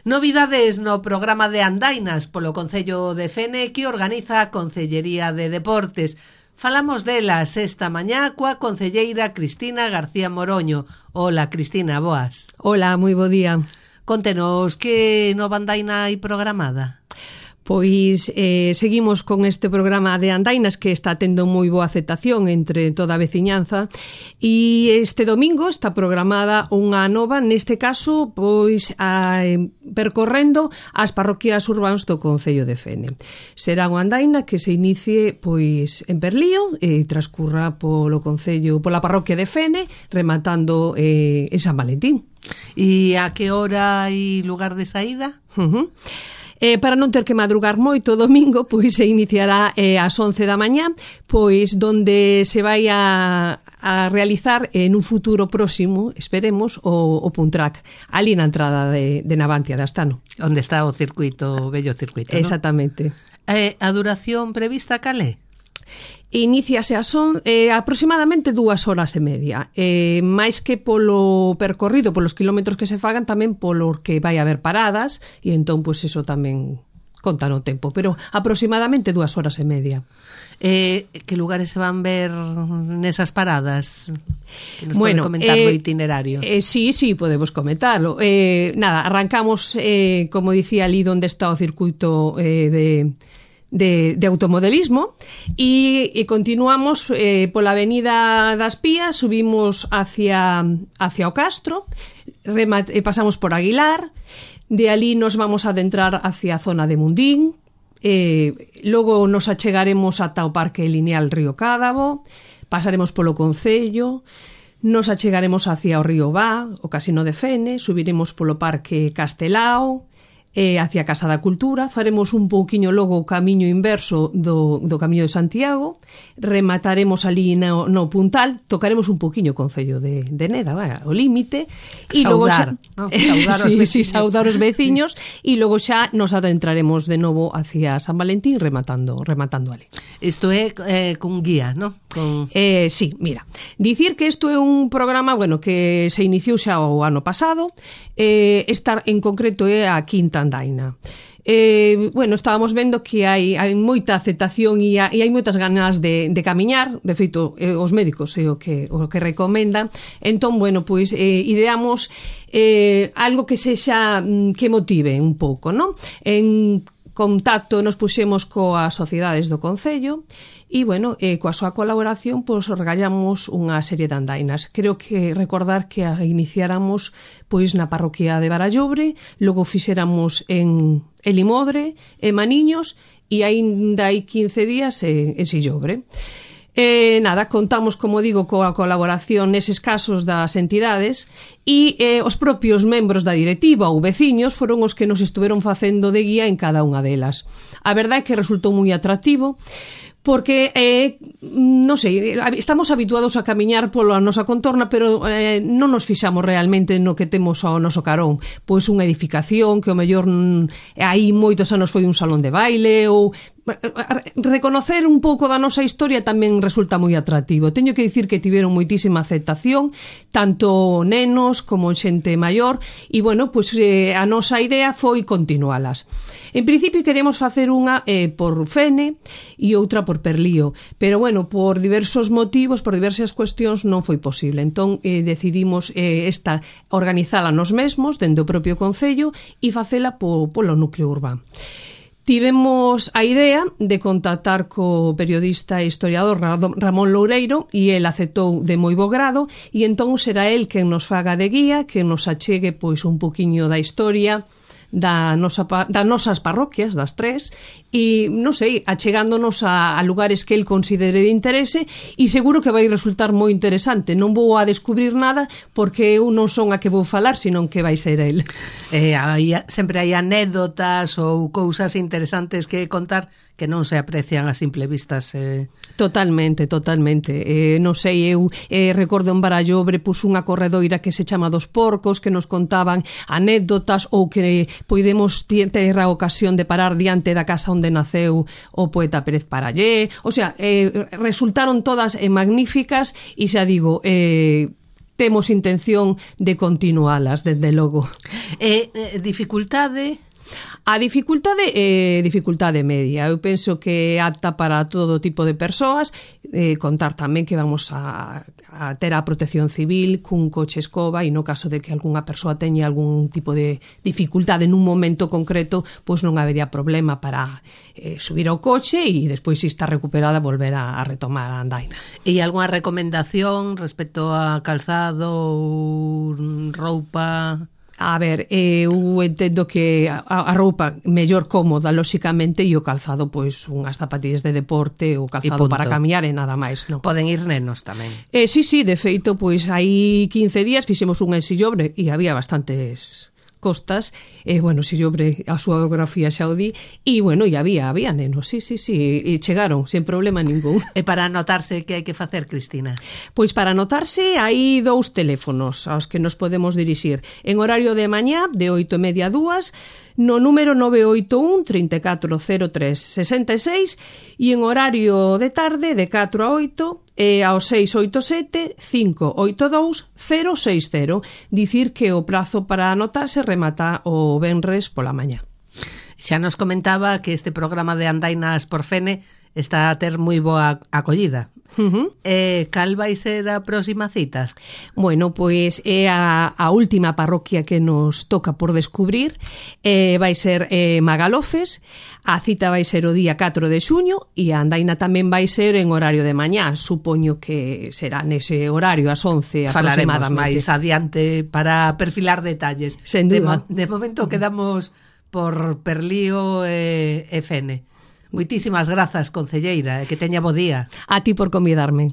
Novidades no programa de andainas polo Concello de Fene que organiza a Concellería de Deportes. Falamos delas esta mañá coa concelleira Cristina García Moroño. Hola, Cristina, boas. Hola, moi bo día. Contenos que nova andaina hai programada. Pois seguimos con este programa de andainas que está tendo moi boa aceptación entre toda a veciñanza e este domingo está programada unha nova, neste caso, pois percorrendo as parroquias urbanas do Concello de Fene. Será unha andaina que se inicie pois en Perlío e transcurra polo Concello, pola parroquia de Fene, rematando en San Valentín. E a que hora e lugar de saída? Para non ter que madrugar moito o domingo, pois se iniciará ás 11 da mañá, pois donde se vai a realizar en un futuro próximo, esperemos, o Puntrack, ali na entrada de Navantia de Astano. Onde está o circuito, o vello circuito, non? Exactamente. A duración prevista cal é? Iníciase aproximadamente 2 horas e media, máis que polo percorrido, polos kilómetros que se fagan, tamén polo que vai haber paradas, e entón, pois, eso tamén conta no tempo, pero aproximadamente 2 horas e media. Que lugares se van ver nesas paradas? Que nos pode comentar do itinerario? Sí, podemos comentarlo. Nada, arrancamos, como dicía ali, onde está o circuito de automodelismo e continuamos pola avenida das Pías, subimos hacia o Castro, pasamos por Aguilar, de ali nos vamos a adentrar hacia a zona de Mundín, logo nos achegaremos ata o Parque Lineal Río Cádavo, pasaremos polo Concello, nos achegaremos hacia o Río Vá, o Casino de Fene, subiremos polo Parque Castelao, hacia a Casa da Cultura, faremos un pouquiño logo o camiño inverso do Camiño de Santiago, remataremos ali no Puntal, tocaremos un pouquiño o Concello de Neda, o límite, e logo xa, saudar os veciños, e logo xa nos adentraremos de novo hacia San Valentín rematando ali. Isto é con guía, non? Sí, mira, dicir que isto é un programa, que se iniciou xa o ano pasado, esta en concreto é a quinta andaina. Estábamos vendo que hai moita aceptación e hai moitas ganas de camiñar, de feito, os médicos é o que recomendan. Entón, ideamos algo que sexa, que motive un pouco, non? En contacto nos puxemos coas sociedades do Concello e, coa súa colaboración, regallamos unha serie de andainas. Creo que recordar que a iniciáramos na parroquia de Barallobre, logo fixéramos en Limodre, en Maniños e aínda hai 15 días en Sillobre. Contamos, como digo, coa colaboración neses casos das entidades e os propios membros da directiva ou veciños foron os que nos estuveron facendo de guía en cada unha delas. A verdade é que resultou moi atractivo porque, estamos habituados a camiñar pola nosa contorna, pero non nos fixamos realmente no que temos ao noso carón. Pois unha edificación que, ao mellor, hai moitos anos foi un salón de baile, ou reconocer un pouco da nosa historia tamén resulta moi atractivo. Teño que dicir que tiveron moitísima aceptación, tanto nenos como xente maior, e, a nosa idea foi continualas. En principio queremos facer unha por Fene e outra por Perlío, pero, por diversos motivos, por diversas cuestións, non foi posible. Entón, decidimos organizala nos mesmos, dende o propio Concello, e facela polo núcleo urbano. Tivemos a idea de contactar co periodista e historiador Ramón Loureiro e el aceptou de moi bo grado e entón será el quen nos faga de guía, que nos achegue un poquinho da historia das nosas parroquias, das tres, e, achegándonos a lugares que el considere de interese, e seguro que vai resultar moi interesante. Non vou a descubrir nada porque eu non son a que vou falar, senón que vai ser el. Sempre hai anécdotas ou cousas interesantes que contar que non se aprecian a simple vistas. Totalmente. Eu recordo en Barallobre unha corredoira que se chama Dos Porcos, que nos contaban anécdotas, ou que podemos ter a ocasión de parar diante da casa onde naceu o poeta Pérez Parallé. Resultaron todas magníficas e xa digo, temos intención de continualas, desde logo. Dificultade? A dificultade é dificultade media. Eu penso que é apta para todo tipo de persoas. Contar tamén que vamos a ter a protección civil cun coche escoba, e no caso de que algunha persoa teña algún tipo de dificultade nun momento concreto, pois non habería problema para subir ao coche e despois, se está recuperada, volver a retomar a andaina. E algunha recomendación respecto a calzado ou roupa? A ver, eu entendo que a roupa mellor cómoda, lóxicamente, e o calzado, pois, unhas zapatillas de deporte ou calzado para camiñar e nada máis, non? Poden ir nenos tamén. Sí, de feito, pois, hai 15 días fixemos un ensillobre e había bastantes costas, bueno, sillobre a súa geografía xa o di, e, bueno, e había nenos, sí, e chegaron, sen problema ningún. E para anotarse, que hai que facer, Cristina? Pois para anotarse hai 2 teléfonos aos que nos podemos dirixir. En horario de mañá, de 8:30 a 2, no número 981 3403 66, e en horario de tarde, de 4 a 8, ao 687 582 060. Dicir que o prazo para anotarse remata o venres pola mañá. Xa nos comentaba que este programa de Andainas por Fene está a ter moi boa acollida. Cal vai ser a próxima cita? Bueno, pois é a última parroquia que nos toca por descubrir. Vai ser Magalofes. A cita vai ser o día 4 de xuño e a andaina tamén vai ser en horario de mañá. Supoño que será nese horario, ás 11 aproximadamente. Falaremos máis adiante para perfilar detalles. Sen duda. De momento quedamos por Perlío e Fene. Moitísimas grazas, concelleira, e que teña bo día. A ti por convidarme.